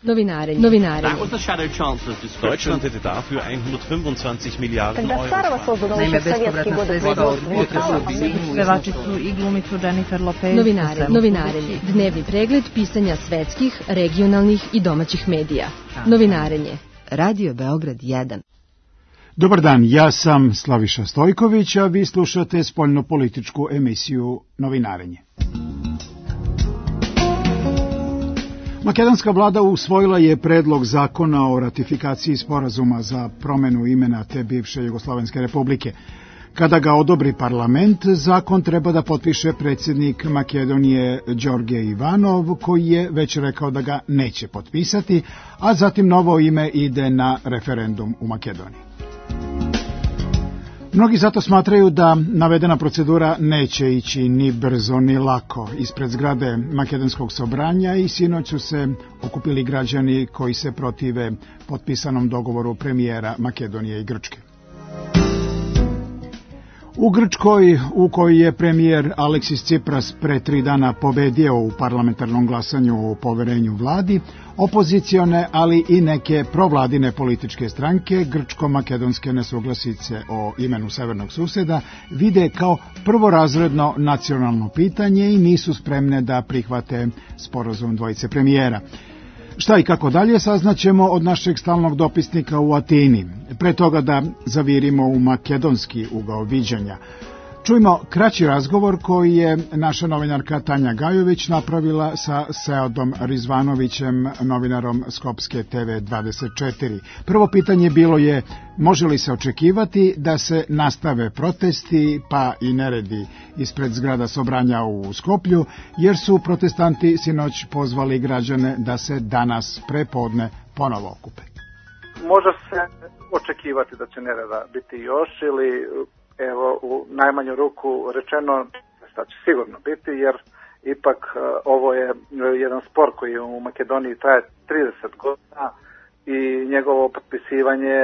Novinarenje. Deutschland hätte dafür 125 Miliarden Euro. Naime, bespovratna sredstva od pevačicu i glumicu Jennifer Lopez. Novinarenje. Dnevni pregled pisanja svetskih, regionalnih i domaćih medija. Novinarenje. Radio Beograd 1. Dobar dan, ja sam Slaviša Stojković, a vi slušate spoljnopolitičku emisiju Novinarenje. Makedonska vlada usvojila je predlog zakona o ratifikaciji sporazuma za promenu imena te bivše Jugoslovenske republike. Kada ga odobri parlament, zakon treba da potpiše predsjednik Makedonije Đorđe Ivanov, koji je već rekao da ga neće potpisati, a zatim novo ime ide na referendum u Makedoniji. Mnogi zato smatraju da navedena procedura neće ići ni brzo ni lako. Ispred zgrade Makedonskog sobranja i sinoć su se okupili građani koji se protive potpisanom dogovoru premijera Makedonije i Grčke. U Grčkoj, u kojoj je premijer Aleksis Tsipras pre 3 dana pobedio u parlamentarnom glasanju o poverenju vladi, opozicione, ali i neke provladine političke stranke grčko-makedonske nesuglasice o imenu severnog suseda vide kao prvorazredno nacionalno pitanje i nisu spremne da prihvate sporazum dvojice premijera. Šta i kako dalje saznaćemo od našeg stalnog dopisnika u Atini. Pre toga da zavirimo u makedonski ugao viđanja. Čujmo kraći razgovor koji je naša novinarka Tanja Gajović napravila sa Seadom Rizvanovićem, novinarom Skopske TV24. Prvo pitanje bilo je, može li se očekivati da se nastave protesti pa i neredi ispred zgrada sobranja u Skoplju, jer su protestanti sinoć pozvali građane da se danas prepodne ponovo okupe. Može se očekivati da će nereda biti još ili evo, u najmanju ruku rečeno, da će sigurno biti, jer ipak ovo je jedan spor koji u Makedoniji traje 30 godina i njegovo potpisivanje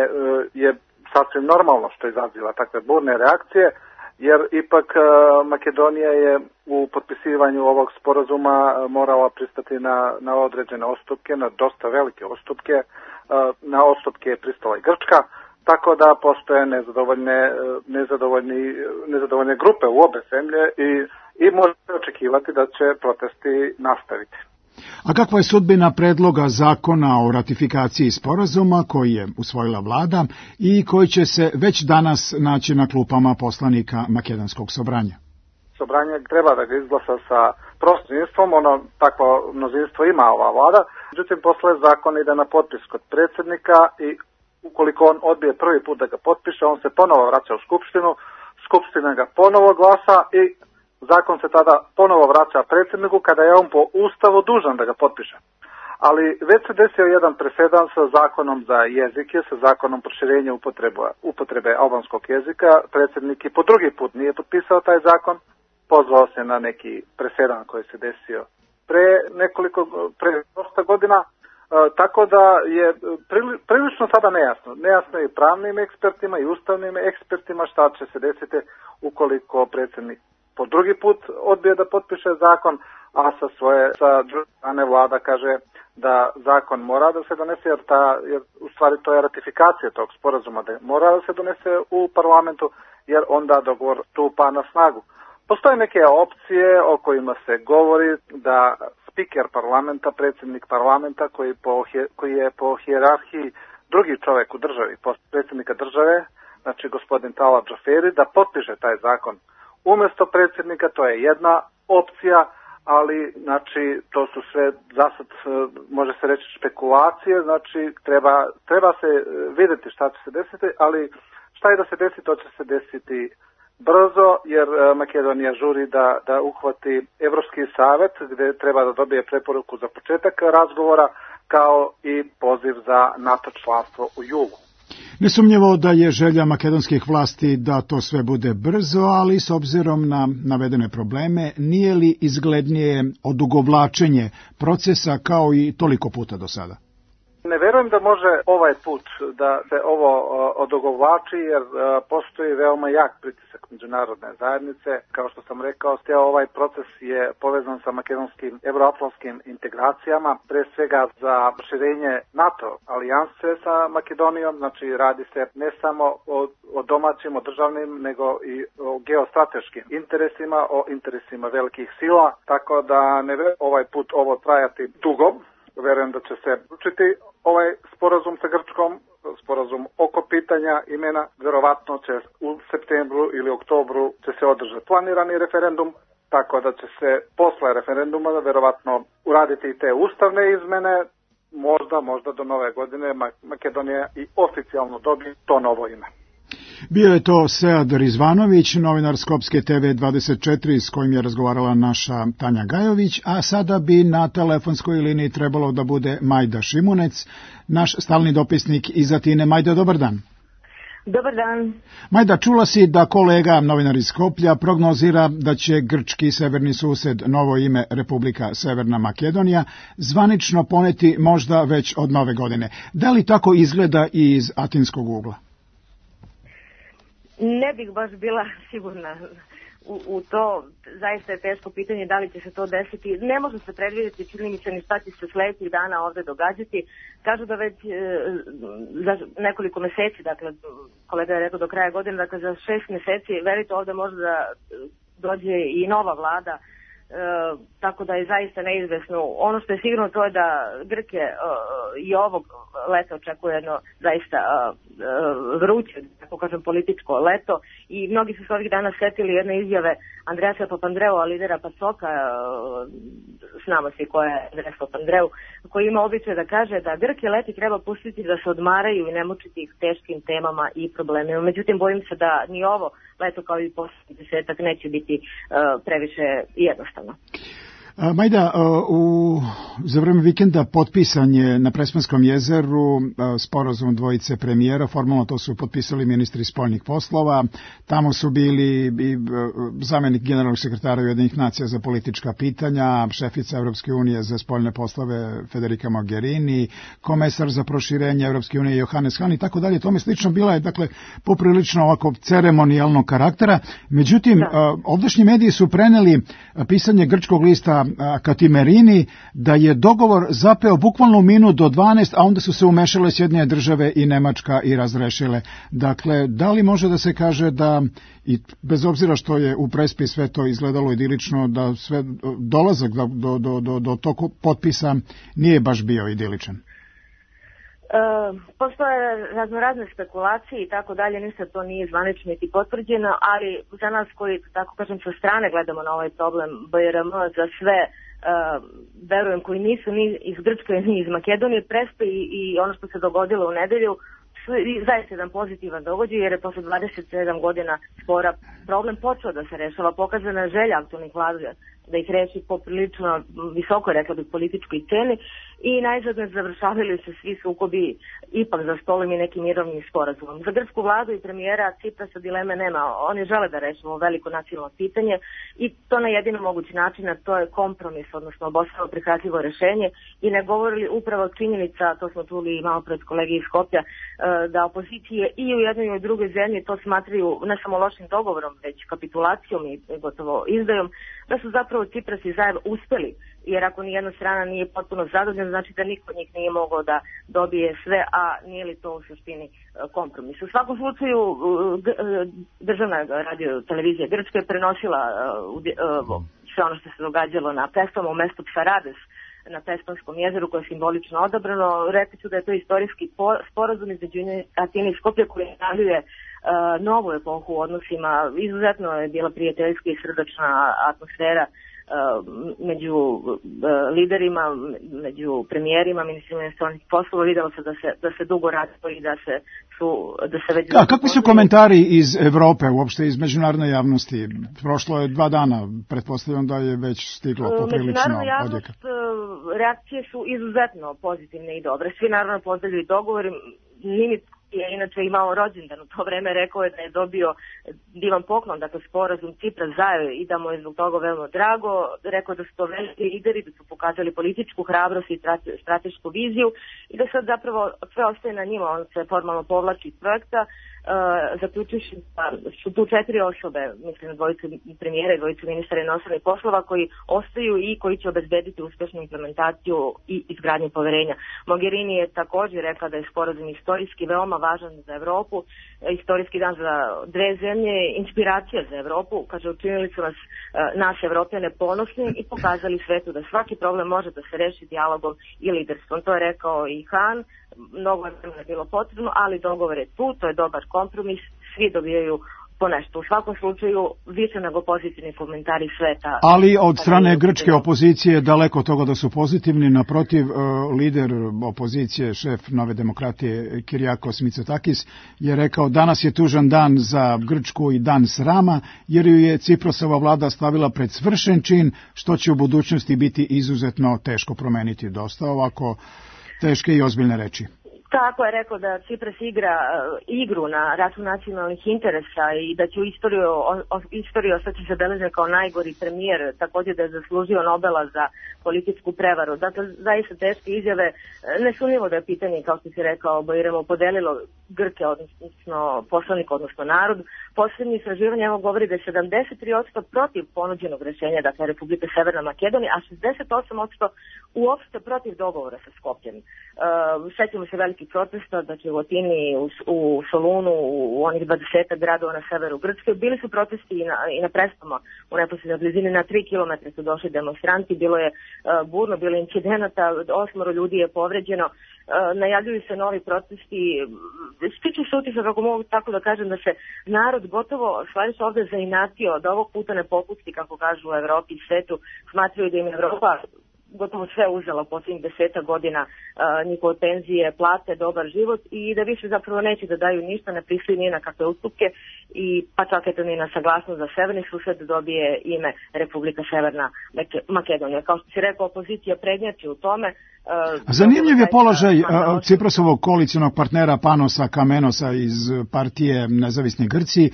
je sasvim normalno što izaziva takve burne reakcije, jer ipak Makedonija je u potpisivanju ovog sporazuma morala pristati na određene odstupke, na dosta velike odstupke, na odstupke je pristala i Grčka, tako da postoje nezadovoljne grupe u obe zemlje i može se očekivati da će protesti nastaviti. A kakva je sudbina predloga zakona o ratifikaciji sporazuma koji je usvojila vlada i koji će se već danas naći na klupama poslanika Makedonskog sobranja? Sobranje treba da ga izglasa sa prostinstvom, takvo množinstvo ima ova vlada, međutim posle zakon ide na potpis kod predsjednika i ukoliko on odbije prvi put da ga potpiše, on se ponovo vraća u Skupštinu, Skupština ga ponovo glasa i zakon se tada ponovo vraća predsjedniku kada je on po Ustavu dužan da ga potpiše. Ali već se desio jedan presedan sa zakonom za jezike, sa zakonom proširenja upotrebe albanskog jezika. Predsjednik i po drugi put nije potpisao taj zakon, pozvao se na neki presedan koji se desio pre dosta godina. Tako da je prilično sada nejasno. Nejasno je i pravnim ekspertima i ustavnim ekspertima šta će se desiti ukoliko predsjednik po drugi put odbije da potpiše zakon, a sa druge strane vlada kaže da zakon mora da se donese, jer u stvari to je ratifikacija tog sporazuma, da mora da se donese u parlamentu, jer onda dogovor stupa na snagu. Postoje neke opcije o kojima se govori da spiker parlamenta, predsjednik parlamenta koji je po hijerarhiji drugi čovjek u državi, predsjednika države, znači gospodin Tala Džoferi, da potpiše taj zakon umjesto predsjednika. To je jedna opcija, ali znači to su sve zasad, može se reći, špekulacije, znači treba se vidjeti šta će se desiti, ali šta je da se desi, to će se desiti brzo, jer Makedonija žuri da uhvati Evropski savjet gdje treba da dobije preporuku za početak razgovora, kao i poziv za NATO članstvo u julu. Nesumnjivo da je želja makedonskih vlasti da to sve bude brzo, ali s obzirom na navedene probleme, nije li izglednije odugovlačenje procesa kao i toliko puta do sada? Ne verujem da može ovaj put da se ovo odogovlači, jer postoji veoma jak pritisak međunarodne zajednice. Kao što sam rekao, ovaj proces je povezan sa makedonskim euroatlantskim integracijama, pre svega za proširenje NATO alijanse sa Makedonijom. Znači radi se ne samo o domaćim, o državnim, nego i o geostrateškim interesima, o interesima velikih sila, tako da ne verujem ovaj put ovo trajati dugo. Verujem da će se učiti ovaj sporazum sa Grčkom, sporazum oko pitanja imena, verovatno će u septembru ili oktobru će se održati planirani referendum, tako da će se posle referenduma verovatno uraditi i te ustavne izmene, možda do nove godine Makedonija i oficijalno dobije to novo ime. Bio je to Sead Rizvanović, novinar Skopske TV24 s kojim je razgovarala naša Tanja Gajović, a sada bi na telefonskoj liniji trebalo da bude Majda Šimunec, naš stalni dopisnik iz Atine. Majda, dobar dan. Dobar dan. Majda, čula si da kolega, novinar iz Skoplja, prognozira da će grčki severni sused, novo ime Republika Severna Makedonija, zvanično poneti možda već od nove godine. Da li tako izgleda i iz atinskog ugla? Ne bih baš bila sigurna u to. Zaista je teško pitanje da li će se to desiti. Ne može se predvidjeti, čini mi se, ni šta će se sledećih dana ovde događati. Kažu da već za nekoliko meseci, dakle, kolega je rekao do kraja godine, dakle za 6 meseci, verite, ovde može da dođe i nova vlada, tako da je zaista neizvesno. Ono što je sigurno to je da Grke i ovog leta očekuje jedno zaista vruće, tako kažem, političko leto, i mnogi su se ovih dana setili jedne izjave Andreasa Papandreua, lidera PASOK-a, znamo svi ko je Andreas Papandreou, koji ima običaj da kaže da Grke leti treba pustiti da se odmaraju i ne mučiti ih teškim temama i problemima. Međutim, bojim se da ni ovo leto kao i posljednji desetak neće biti previše jednostavno. Majda, za vreme vikenda potpisan je na Prespanskom jezeru sporazum dvojice premijera, formalno to su potpisali ministri spoljnih poslova, tamo su bili i zamenik generalnog sekretara Ujedinjenih nacija za politička pitanja, šefica Evropske unije za spoljne poslove Federica Mogherini, komesar za proširenje Evropske unije Johannes Hahn i tako dalje, tome slično. Bila je, dakle, poprilično ovako ceremonijalnog karaktera. Međutim, ovdašnji mediji su preneli pisanje grčkog lista Katimerini da je dogovor zapeo bukvalno minut do 12, a onda su se umešale Sjedinjene države i Nemačka i razrešile. Dakle, da li može da se kaže da, i bez obzira što je u Prespi sve to izgledalo idilično, da sve dolazak do tog potpisa nije baš bio idiličan? Postoje raznorazne spekulacije i tako dalje, ništa to nije zvanično niti potvrđeno, ali za nas koji, tako kažem, sa strane gledamo na ovaj problem BRM, za sve, verujem, koji nisu ni iz Grčke ni iz Makedonije, Prespe i ono što se dogodilo u nedelju, zaista jedan pozitivan događaj, jer je posle 27 godina spora problem počeo da se rešava, pokazana želja aktualnih vlada da ih reši poprilično visoko, rekla bih, političkoj ceni, i najzad ne završavali se svi sukobi ipak za stolom i nekim mirovnim sporazumom. Za grčku vladu i premijera Ciprasa dileme nema. Oni žele da rešimo veliko nacionalno pitanje i to na jedino mogući način, a to je kompromis, odnosno obostrano prihvatljivo rešenje, i ne govorili upravo činjenica, to smo čuli malo pred kolege iz Skoplja, da opozicije i u jednoj i u drugoj zemlji to smatraju ne samo lošim dogovorom, već kapitulacijom i gotovo izdajom, da su zapravo Cipras i Zaev uspeli, jer ako nijedna strana nije potpuno zadovoljna, znači da niko od njih nije mogao da dobije sve, a nije li to u suštini kompromis. U svakom slučaju, državna radio televizija Grčka je prenosila sve ono što se događalo na Pespama, u mestu Psarades, na Pespanskom jezeru, koje je simbolično odabrano. Rekli su da je to istorijski sporazum između Atine i Skoplja koji najavljuje novu epohu u odnosima. Izuzetno je bila prijateljska i srdačna atmosfera među liderima, među premijerima, ministrima inostranih poslova. Videlo se da se dugo radilo i da se već... Kakvi su komentari iz Evrope, uopšte iz međunarodne javnosti? Prošlo je 2 dana, pretpostavljam da je već stiglo poprilično međunarodna javnost, reakcije su izuzetno pozitivne i dobre. Svi naravno pozdravljaju dogovor. Nije je inače imao rođendan u to vreme, rekao je da je dobio divan poklon, dakle sporazum Cipra zajedno i da mu je zbog toga veoma drago. Rekao da su to veliki lideri, da su pokazali političku hrabrost i stratešku viziju i da sad zapravo sve ostaje na njima, on se formalno povlači iz projekta. Zaključujući da su tu 4 osobe, mislim na dvojicu premijera i dvojicu ministara inostranih poslova koji ostaju i koji će obezbediti uspešnu implementaciju i izgradnju poverenja. Mogherini je također rekla da je sporazum istorijski veoma važan za Evropu, istorijski dan za dve zemlje, inspiracija za Evropu, kaže učinili su nas Evropljane ponosni i pokazali svetu da svaki problem može da se reši dijalogom i liderstvom. To je rekao i Han. Mnogo je bilo potrebno, ali dogovor je tu, to je dobar kompromis, svi dobijaju po nešto. U svakom slučaju više nego pozitivni komentari sveta. Ali od strane grčke opozicije daleko od toga da su pozitivni, naprotiv, lider opozicije, šef Nove demokratije Kyriakos Mitsotakis je rekao danas je tužan dan za Grčku i dan srama, jer ju je Ciprosova vlada stavila pred svršen čin, što će u budućnosti biti izuzetno teško promeniti. Dosta ovako teške i ozbiljne reči. Tako je rekao da Cipras igra igru na račun nacionalnih interesa i da će u istoriji ostati zabeležen kao najgori premijer, također da je zaslužio Nobela za političku prevaru. Dakle, zaista teške izjave, nesumnjivo da je pitanje, kao što si rekao, Bajramo podelilo Grke, odnosno poslanik, odnosno narod. Posljednje istraživanje evo govori da je 73% protiv ponuđenog rješenja, dakle Republike Severna Makedonija, a 68% uopšte protiv dogovora sa Skopjem. Sećamo se velikih protesta, znači u Atini, u Solunu, u onih 20 gradova na severu Grčke. Bili su protesti i na Prestama, u neposrednoj blizini, na 3 kilometra su došli demonstranti, bilo je burno, bilo je incidenata, 8 ljudi je povređeno. Najavljuju se novi protesti, stiče se utisak, kako mogu tako da kažem, da se narod gotovo stvari se ovdje zainatio, da ovog puta ne popusti, kako kažu u Evropi i svetu, smatraju da im Evropa gotovo sve uzela u posljednjih 10 godina, njihove penzije, plate, dobar život i da više zapravo neće da daju ništa, ne pristaju ni na kakve ustupke i pa čak eto ni na saglasnost za severni sused dobije ime Republika Severna Makedonija. Kao što si rekao, opozicija prednjači u tome. Zanimljiv je položaj Ciprosovog koalicionog partnera Panosa Kamenosa iz partije Nezavisni Grci,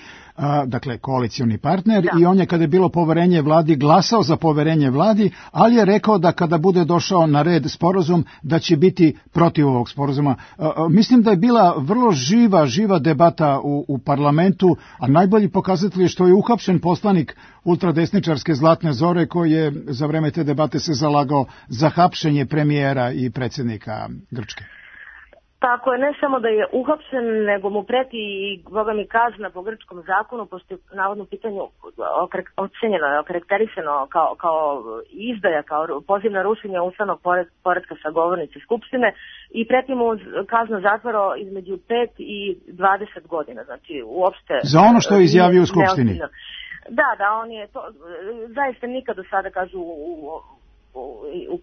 dakle koalicioni partner, i on je kada je bilo poverenje vladi glasao za poverenje vladi, ali je rekao da kada bude došao na red sporazum da će biti protiv ovog sporazuma. Mislim da je bila vrlo živa debata u parlamentu, a najbolji pokazatelj je što je uhapšen poslanik ultradesničarske Zlatne Zore koji je za vreme te debate se zalagao za hapšenje premijera i predsjednika Grčke. Tako je, ne samo da je uhapšen, nego mu preti i boga mi kazna po grčkom zakonu, pošto je navodno pitanju ocenjeno, okarakterisano kao izdaja, kao poziv na rušenje ustavnog poretka sa govornice Skupštine i preti mu kazna zatvora između 5 i 20 godina, znači uopšte... Za ono što je izjavio u Skupštini. Da, on je to, zaista nikad do sada, kažu,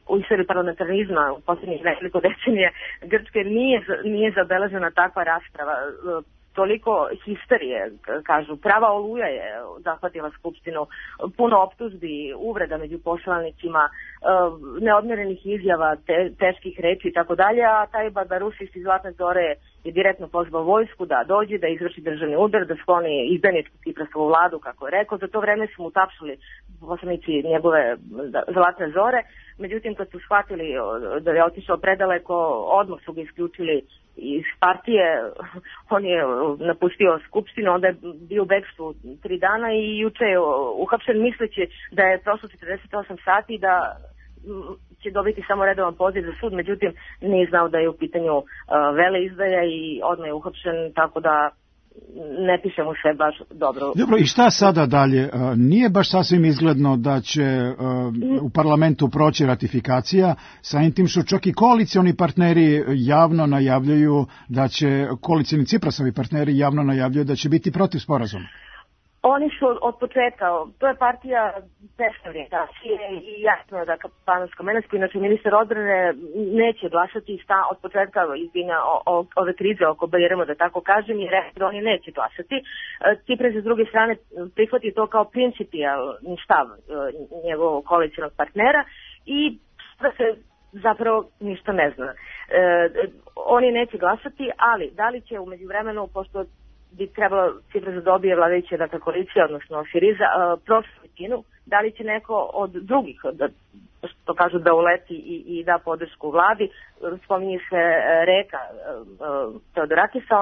u istoriji parlamentarizma u posljednjih nekoliko decenija Grčke nije zabeležena takva rasprava. Toliko histerije, kažu, prava oluja je zahvatila Skupštinu, puno optužbi, uvreda među poslanicima, neodmjerenih izjava, teških reči i tako dalje, a taj Barbarusis iz Zlatne Zore je direktno pozvao vojsku da dođe, da izvrši državni udar, da skloni izdajničku Ciprasovu vladu, kako je rekao. Za to vreme su mu tapšali poslanici njegove Zlatne Zore, međutim kad su shvatili da je otišao predaleko, odmah su ga isključili iz partije, on je napustio Skupštinu, onda je bio u bekstvu 3 dana i juče je uhapšen misleći da je prošlo 48 sati i da će dobiti samo redovan poziv za sud, međutim nije znao da je u pitanju veleizdaja i odmah je uhapšen, tako da ne piše mu se baš dobro. Dobro, i šta sada dalje? Nije baš sasvim izgledno da će u parlamentu proći ratifikacija, samim tim što čak i koalicioni partneri javno najavljuju da će, koalicioni Ciprasovi partneri javno najavljuju da će biti protiv sporazuma. Oni su od početka, to je partija desne orijentacije i jasno da Panos Kamenas, koji inače ministar odbrane, neće glasati od početka izbina ove krize oko Bajramo, da tako kažem, i rekao da oni neće glasati. Cipras s druge strane prihvati to kao principijalni stav njegovog koalicionog partnera i da se zapravo ništa ne zna. oni neće glasati, ali da li će u međuvremenu, pošto bi trebalo Cipras da dobije vladajuća dakle, koalicija, odnosno Siriza, prošlu većinu, da li će neko od drugih, što kažu da uleti i da podršku vladi, spominje se Reka Teodorakisa,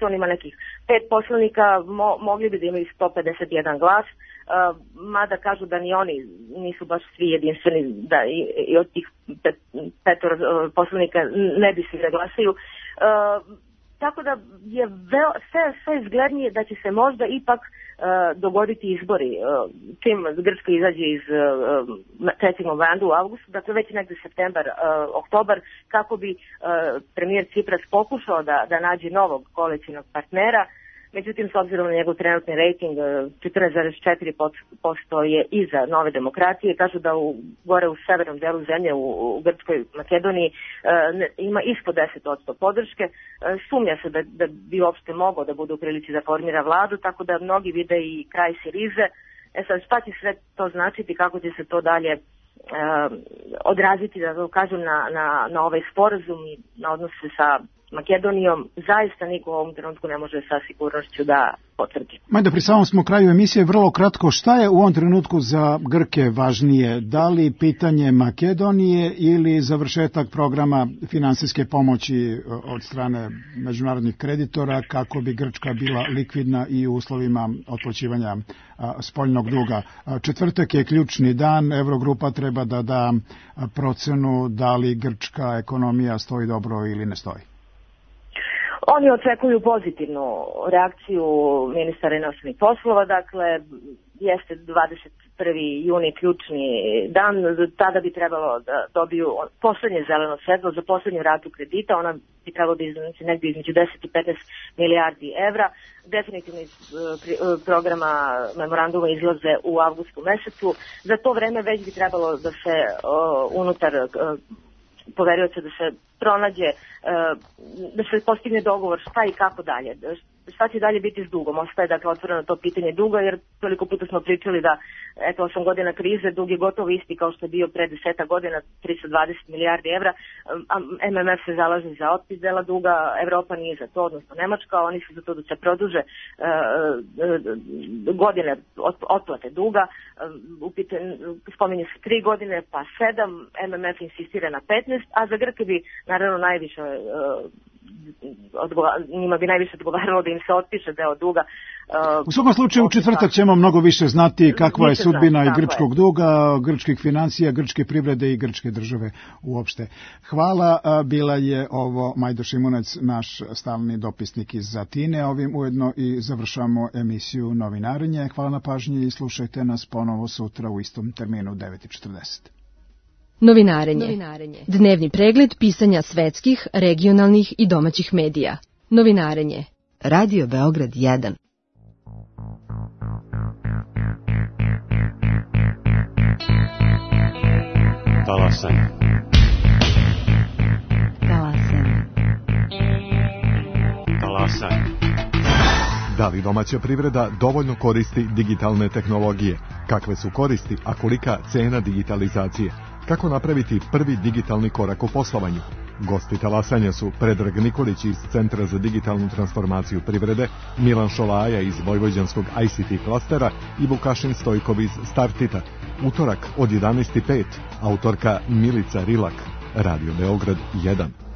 on ima nekih 5 poslanika, mogli bi da imaju 151 glas, mada kažu da ni oni nisu baš svi jedinstveni, da i od tih 5 poslanika ne bi svi da glasaju. Tako da je sve izglednije da će se možda ipak dogoditi izbori. Čim Grčka izađe iz trećeg novembra u avgustu, dakle već negde septembar, oktobar, kako bi premijer Cipras pokušao da nađe novog koalicijnog partnera. Međutim, s obzirom na njegov trenutni rating, 14,4% je iza Nove demokratije. Kažu da gore u severnom delu zemlje, u Grčkoj Makedoniji, ima ispod 10% podrške. Sumnja se da bi uopšte mogao da bude u prilici da formira vladu, tako da mnogi vide i kraj Sirize. Sad, šta će sve to značiti, kako će se to dalje odraziti, da kažem, na ovaj sporazum i na odnose sa Makedonijom, zaista niko u ovom trenutku ne može sa sigurnošću da potvrdi. Majda, pri samom smo kraju emisije, vrlo kratko, šta je u ovom trenutku za Grke važnije? Da li pitanje Makedonije ili završetak programa finansijske pomoći od strane međunarodnih kreditora kako bi Grčka bila likvidna i u uslovima otplaćivanja spoljnog duga? Četvrtak je ključni dan, Eurogrupa treba da da procenu da li grčka ekonomija stoji dobro ili ne stoji. Oni očekuju pozitivnu reakciju ministara inostranih poslova, dakle jeste 21. juni ključni dan, tada bi trebalo da dobiju poslednje zeleno svetlo za poslednju ratu kredita, ona bi trebalo da iznosi negdje između 10 i 15 milijardi evra. Definitivno iz programa memoranduma izlaze u avgustu mesecu. Za to vreme već bi trebalo da se unutar poverioca da se pronađe, da se postigne dogovor šta i kako dalje. Šta će dalje biti s dugom? Ostaje dakle otvoreno to pitanje duga, jer toliko puta smo pričali da 8 godina krize, dug je gotovo isti kao što je bio pre 10 godina, 320 milijardi evra, a MMF se zalaže za otpis dela duga, Evropa nije za to, odnosno Nemačka, oni su za to da se produže godine otplate duga, spominje se 3 godine, pa 7, MMF insistira na 15, a za Grke bi naravno najviše njima bi najviše odgovaralo da im se otpiše deo duga. U svakom slučaju u četvrtak ćemo mnogo više znati kakva je sudbina i grčkog duga, grčkih financija, grčke privrede i grčke države uopšte. Hvala, bila je ovo Majda Šimunec, naš stalni dopisnik iz Atine. Ovim ujedno i završamo emisiju Novinarenje. Hvala na pažnji i slušajte nas ponovo sutra u istom terminu 9:40. Novinarenje. Dnevni pregled pisanja svetskih, regionalnih i domaćih medija. Novinarenje. Radio Beograd 1. Talasanje. Da li domaća privreda dovoljno koristi digitalne tehnologije? Kakve su koristi, a kolika cena digitalizacije? Kako napraviti prvi digitalni korak u poslovanju? Gosti talasanja su Predrag Nikolić iz Centra za digitalnu transformaciju privrede, Milan Šolaja iz Vojvođanskog ICT klastera i Vukašin Stojkov iz Startita. Utorak od 11:05, autorka Milica Rilak, Radio Beograd 1.